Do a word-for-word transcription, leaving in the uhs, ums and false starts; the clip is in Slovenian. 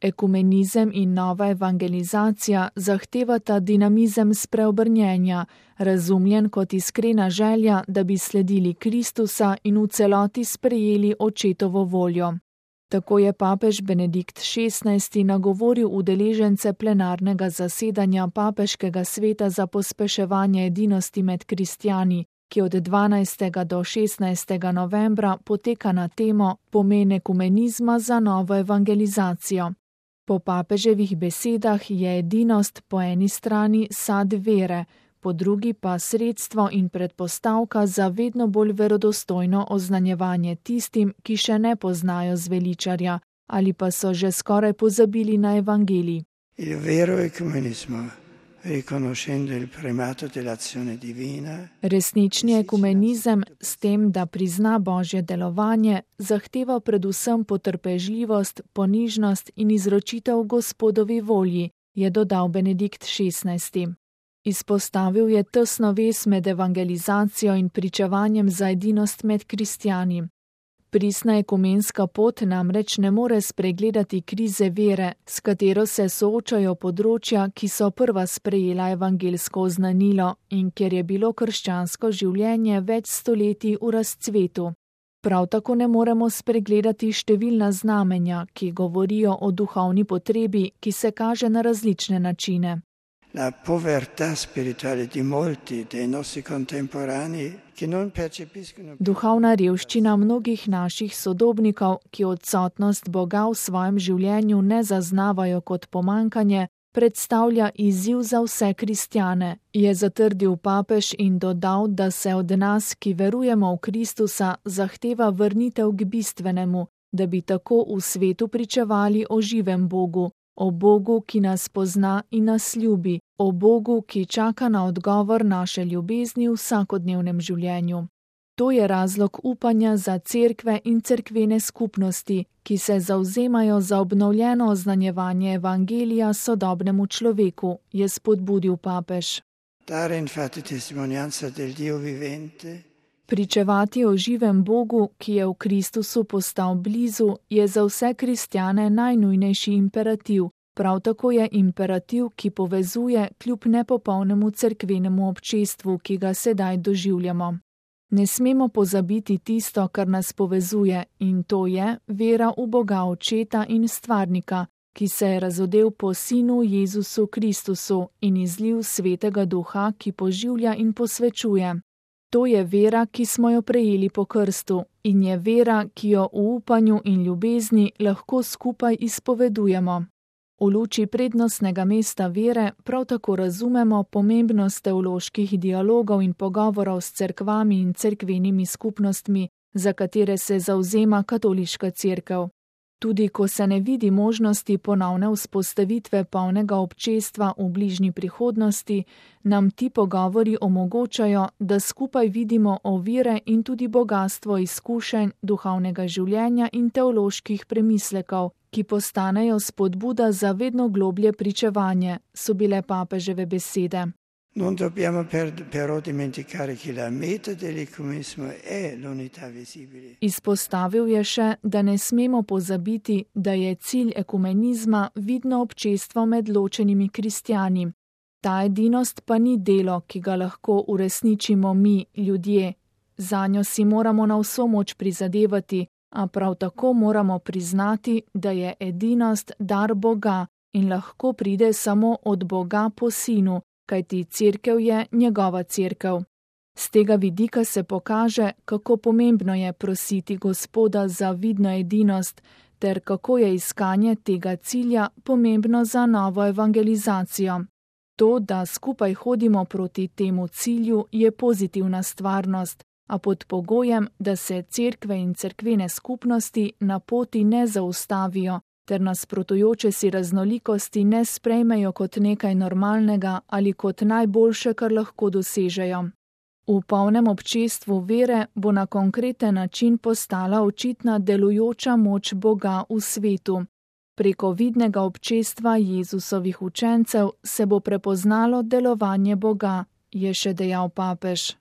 Ekumenizem in nova evangelizacija zahtevata dinamizem spreobrnjenja, razumljen kot iskrena želja, da bi sledili Kristusa in v celoti sprejeli očetovo voljo. Tako je papež Benedikt šestnajsti nagovoril udeležence plenarnega zasedanja Papeškega sveta za pospeševanje edinosti med kristjani, ki od dvanajstega do šestnajstega novembra poteka na temo Pomen ekumenizma za novo evangelizacijo. Po papeževih besedah je edinost po eni strani sad vere, po drugi pa sredstvo in predpostavka za vedno bolj verodostojno oznanjevanje tistim, ki še ne poznajo zveličarja ali pa so že skoraj pozabili na evangelij. Il vero ecumenismo, riconoscendo il primato dell'azione divina. Resnični ekumenizem s tem, da prizna Božje delovanje, zahteva predvsem potrpežljivost, ponižnost in izročitev Gospodovi volji, je dodal Benedikt šestnajsti. Izpostavil je tesno vez med evangelizacijo in pričevanjem za edinost med kristjani. Pristna ekumenska pot namreč ne more spregledati krize vere, s katero se soočajo področja, ki so prva sprejela evangelsko oznanilo in kjer je bilo krščansko življenje več stoletij v razcvetu. Prav tako ne moremo spregledati številna znamenja, ki govorijo o duhovni potrebi, ki se kaže na različne načine. La povertà spirituale di molti dei nostri contemporanei che non percepiscono. Duhovna revščina mnogih naših sodobnikov, ki odsotnost Boga v svojem življenju ne zaznavajo kot pomankanje, predstavlja izziv za vse kristjane, je zatrdil papež in dodal, da se od nas, ki verujemo v Kristusa, zahteva vrnitev k bistvenemu, da bi tako v svetu pričevali o živem Bogu, o Bogu, ki nas pozna in nas ljubi, o Bogu, ki čaka na odgovor naše ljubezni v vsakodnevnem življenju. To je razlog upanja za cerkve in cerkvene skupnosti, ki se zavzemajo za obnovljeno oznanjevanje evangelija sodobnemu človeku, je spodbudil papež. Dare infatti testimonianza del Dio vivente. Pričevati o živem Bogu, ki je v Kristusu postal blizu, je za vse kristjane najnujnejši imperativ. Prav tako je imperativ, ki povezuje kljub nepopolnemu cerkvenemu občestvu, ki ga sedaj doživljamo. Ne smemo pozabiti tisto, kar nas povezuje, in to je vera v Boga Očeta in Stvarnika, ki se je razodel po Sinu Jezusu Kristusu in izlil Svetega Duha, ki poživlja in posvečuje. To je vera, ki smo jo prejeli po krstu, in je vera, ki jo v upanju in ljubezni lahko skupaj izpovedujemo. V luči prednostnega mesta vere prav tako razumemo pomembnost teoloških dialogov in pogovorov s cerkvami in cerkvenimi skupnostmi, za katere se zavzema katoliška cerkev. Tudi ko se ne vidi možnosti ponovne vzpostavitve polnega občestva v bližnji prihodnosti, nam ti pogovori omogočajo, da skupaj vidimo ovire in tudi bogastvo izkušenj duhovnega življenja in teoloških premislekov, ki postanejo spodbuda za vedno globlje pričevanje, so bile papeževe besede. Non dobbiamo per, però dimenticare che la meta dell'ecumenismo è l'unità visibile. Izpostavil je še, da ne smemo pozabiti, da je cilj ekumenizma vidno občestvo med ločenimi kristjani. Ta edinost pa ni delo, ki ga lahko uresničimo mi, ljudje. Zanjo si moramo na vso moč prizadevati, a prav tako moramo priznati, da je edinost dar Boga in lahko pride samo od Boga po Sinu, kajti cerkev je njegova cerkev. Z tega vidika se pokaže, kako pomembno je prositi Gospoda za vidno edinost, ter kako je iskanje tega cilja pomembno za novo evangelizacijo. To, da skupaj hodimo proti temu cilju, je pozitivna stvarnost, a pod pogojem, da se cerkve in cerkvene skupnosti na poti ne zaustavijo, ter nasprotujoče si raznolikosti ne sprejmejo kot nekaj normalnega ali kot najboljše, kar lahko dosežejo. V polnem občestvu vere bo na konkreten način postala očitna delujoča moč Boga v svetu. Preko vidnega občestva Jezusovih učencev se bo prepoznalo delovanje Boga, je še dejal papež.